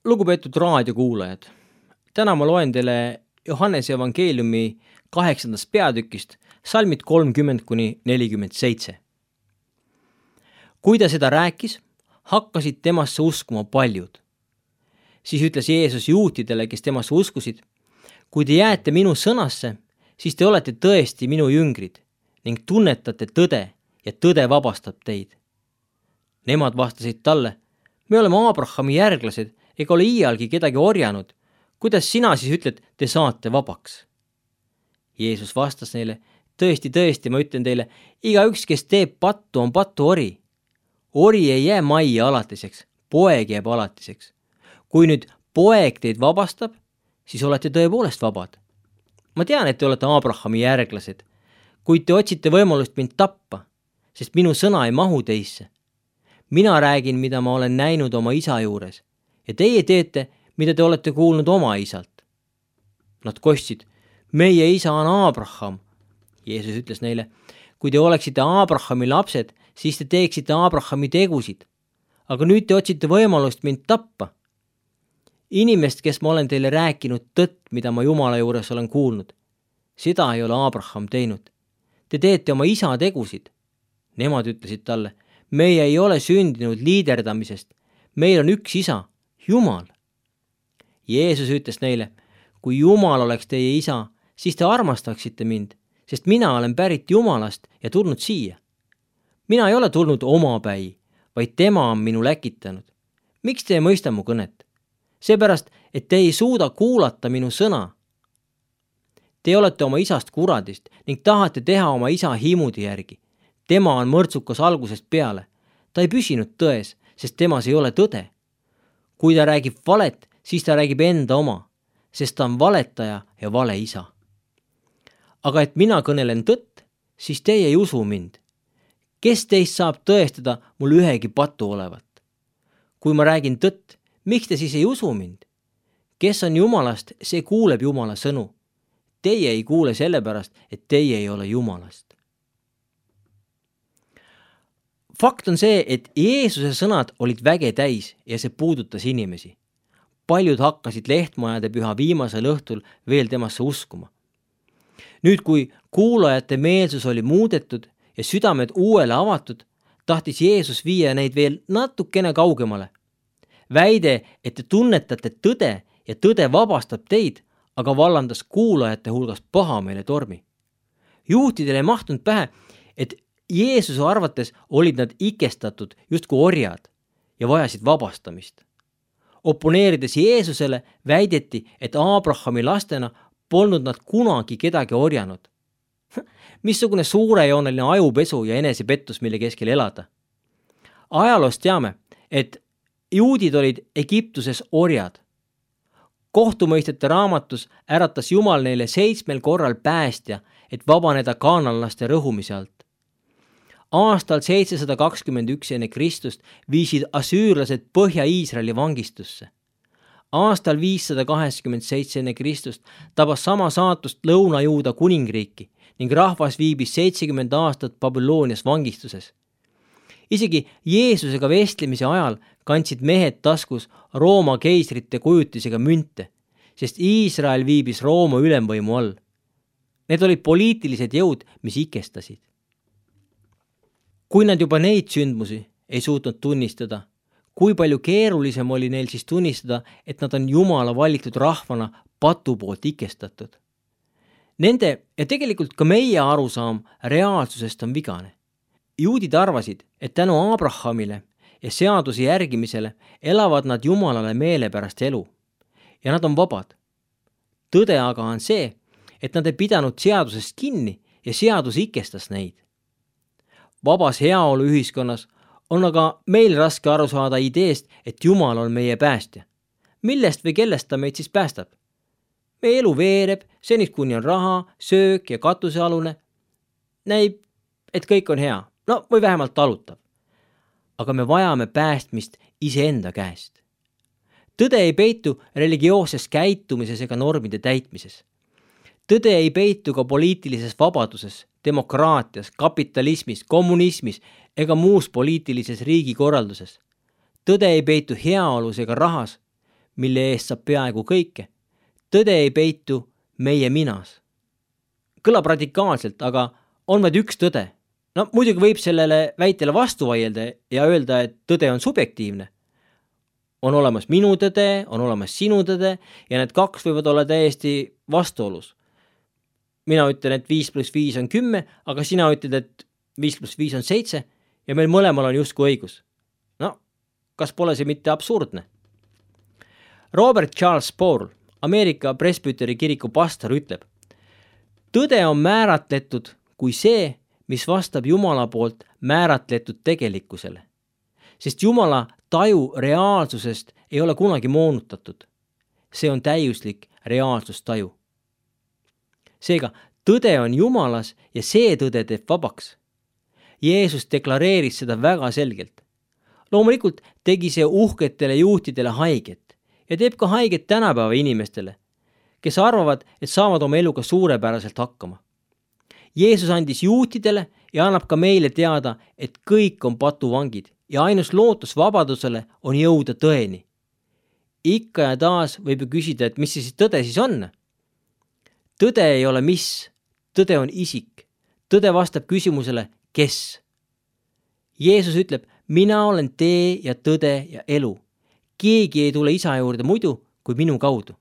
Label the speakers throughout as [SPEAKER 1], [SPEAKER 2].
[SPEAKER 1] Lugupeetud raadiokuulajad, täna ma loen teile Johannese evangeeliumi 8. peatükist salmid 30-47. Kui ta seda rääkis, hakkasid temasse uskuma paljud. Siis ütles Jeesus juutidele, kes temasse uskusid, kui te jääte minu sõnasse, siis te olete tõesti minu jüngrid ning tunnetate tõde ja tõde vabastab teid. Nemad vastasid talle, me oleme Abrahami järglased ega ole iialgi kedagi orjanud. Kuidas sina siis ütled, te saate vabaks? Jeesus vastas neile, tõesti, ma ütlen teile, igaüks, kes teeb pattu, on patuori. Ori ei jää majja alatiseks, poeg jääb alatiseks. Kui nüüd poeg teid vabastab, siis olete tõepoolest vabad. Ma tean, et te olete Abrahami järglased, kuid te otsite võimalust mind tappa, sest minu sõna ei mahu teisse. Mina räägin, mida ma olen näinud oma isa juures ja teie teete, mida te olete kuulnud oma isalt. Nad kostsid, meie isa on Abraham. Jeesus ütles neile, kui te oleksite Abrahami lapsed, siis te teeksite Abrahami tegusid. Aga nüüd te otsite võimalust mind tappa. Inimest, kes ma olen teile rääkinud tõtt, mida ma Jumala juures olen kuulnud. Seda ei ole Abraham teinud. Te teete oma isa tegusid. Nemad ütlesid talle, meie ei ole sündinud liiderdamisest. Meil on üks isa, Jumal. Jeesus ütles neile, kui Jumal oleks teie isa, siis te armastaksite mind, sest mina olen pärit Jumalast ja tulnud siia. Mina ei ole tulnud omapäi, vaid tema on minu läkitanud. Miks te ei mõista mu kõnet? Seepärast, et te ei suuda kuulata minu sõna. Te olete oma isast kuradist ning tahate teha oma isa hiimudi järgi. Tema on mõrtsukas algusest peale. Ta ei püsinud tões, sest temas ei ole tõde. Kui ta räägib valet, siis ta räägib enda oma, sest ta on valetaja ja vale isa. Aga et mina kõnelen tõtt, siis teie ei usu mind. Kes teist saab tõestada mul ühegi patu olevat? Kui ma räägin tõtt, miks te siis ei usu mind? Kes on Jumalast, see kuuleb Jumala sõnu. Teie ei kuule sellepärast, et teie ei ole Jumalast. Fakt on see, et Jeesuse sõnad olid väge täis ja see puudutas inimesi. Paljud hakkasid Lehtmajade püha viimasel õhtul veel temasse uskuma. Nüüd, kui kuulajate meelsus oli muudetud ja südamed uuele avatud, tahtis Jeesus viia neid veel natukene kaugemale. Väide, et te tunnetate tõde ja tõde vabastab teid, aga vallandas kuulajate hulgas pahameele tormi. Juutidele ei mahtunud pähe, et Jeesuse arvates olid nad ikestatud justkui orjad ja vajasid vabastamist. Oponeerides Jeesusele väideti, et Abrahami lastena polnud nad kunagi kedagi orjanud. Missugune suurejooneline ajupesu ja enesepettus, mille keskel elada. Ajaloost teame, et juudid olid Egiptuses orjad. Kohtumõistete raamatus äratas Jumal neile 7 korral päästja, et vabaneda kaananlaste rõhumise alt. Aastal 721 enne Kristust viisid asüürlased Põhja-Iisraeli vangistusse. Aastal 587 enne Kristust tabas sama saatust Lõuna-Juuda kuningriiki ning rahvas viibis 70 aastat Babylonias vangistuses. Isegi Jeesusega vestlemise ajal kandsid mehed taskus Rooma keisrite kujutisega münte, sest Iisrael viibis Rooma ülemvõimu all. Need olid poliitilised jõud, mis ikestasid. Kui nad juba neid sündmusi ei suutnud tunnistada, kui palju keerulisem oli neil siis tunnistada, et nad on Jumala valitud rahvana patu poolt ikestatud. Nende ja tegelikult ka meie arusaam reaalsusest on vigane. Juudid arvasid, et tänu Abrahamile ja seaduse järgimisele elavad nad Jumalale meelepärast elu ja nad on vabad. Tõde aga on see, et nad ei pidanud seadusest kinni ja seadus ikestas neid. Vabas heaolu ühiskonnas on aga meil raske aru saada ideest, et Jumal on meie päästja. Millest või kellest ta meid siis päästab? Meie elu veereb, seniks kuni on raha, söök ja katusealune. Näib, et kõik on hea, või vähemalt talutav. Aga me vajame päästmist iseenda käest. Tõde ei peitu religioosses käitumises ega normide täitmises. Tõde ei peitu ka poliitilises vabaduses, demokraatias, kapitalismis, kommunismis ega muus poliitilises riigikorralduses. Tõde ei peitu heaolus ega rahas. mille eest saab peaaegu kõike. Tõde ei peitu meie minas. Kõlab radikaalselt, aga on vaid üks tõde. No muidugi võib sellele väitele vastu vaielda ja öelda, et tõde on subjektiivne. On olemas minu tõde, on olemas sinu tõde ja need kaks võivad olla täiesti vastuolus. Mina ütlen, et 5 + 5 on 10, aga sina ütled, et 5 + 5 on 7 ja meil mõlemal on justkui õigus. No, kas pole see mitte absurdne? Robert Charles Paul, Ameerika Presbyteri kiriku pastor, ütleb: tõde on määratletud kui see, mis vastab Jumala poolt määratletud tegelikkusele. Sest Jumala taju reaalsusest ei ole kunagi moonutatud. See on täiuslik reaalsustaju. Seega, tõde on Jumalas ja see tõde teeb vabaks. Jeesus deklareeris seda väga selgelt. Loomulikult tegi see uhketele juhtidele haiget ja teeb ka haiget tänapäeva inimestele, kes arvavad, et saavad oma eluga suurepäraselt hakkama. Jeesus andis juutidele ja annab ka meile teada, et kõik on patuvangid ja ainus lootus vabadusele on jõuda tõeni. Ikka ja taas võib ju küsida, et mis see siis tõde siis on? Tõde ei ole mis, tõde on isik. Tõde vastab küsimusele, kes? Jeesus ütleb, mina olen tee ja tõde ja elu. Keegi ei tule isa juurde muidu kui minu kaudu.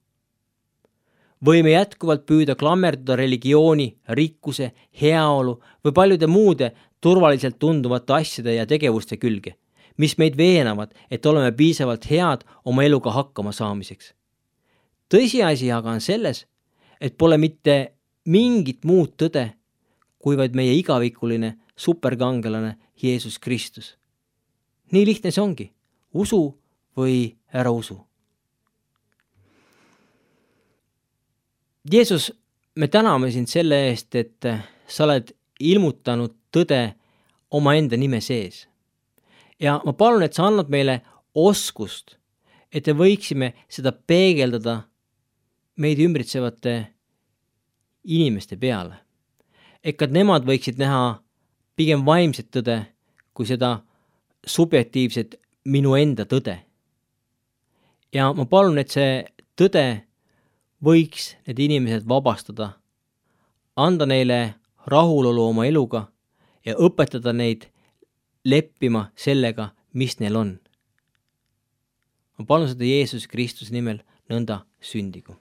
[SPEAKER 1] Võime jätkuvalt püüda klammerduda religiooni, rikkuse, heaolu või paljude muude turvaliselt tunduvate asjade ja tegevuste külge, mis meid veenavad, et oleme piisavalt head oma eluga hakkama saamiseks. Tõsiasi aga on selles, et pole mitte mingit muud tõde, kui vaid meie igavikuline superkangelane Jeesus Kristus. Nii lihtne see ongi. Usu või ära usu. Jeesus, me täname sind selle eest, et sa oled ilmutanud tõde omaenda nime sees. Ja ma palun, et sa annad meile oskust, et me võiksime seda peegeldada meid ümbritsevate inimeste peale. Ega nemad võiksid näha pigem vaimset tõde, kui seda subjektiivset minu enda tõde. Ja ma palun, et see tõde võiks need inimesed vabastada, anda neile rahulolu oma eluga ja õpetada neid leppima sellega, mis neil on. Ma palun seda Jeesus Kristuse nimel nõnda sündigu.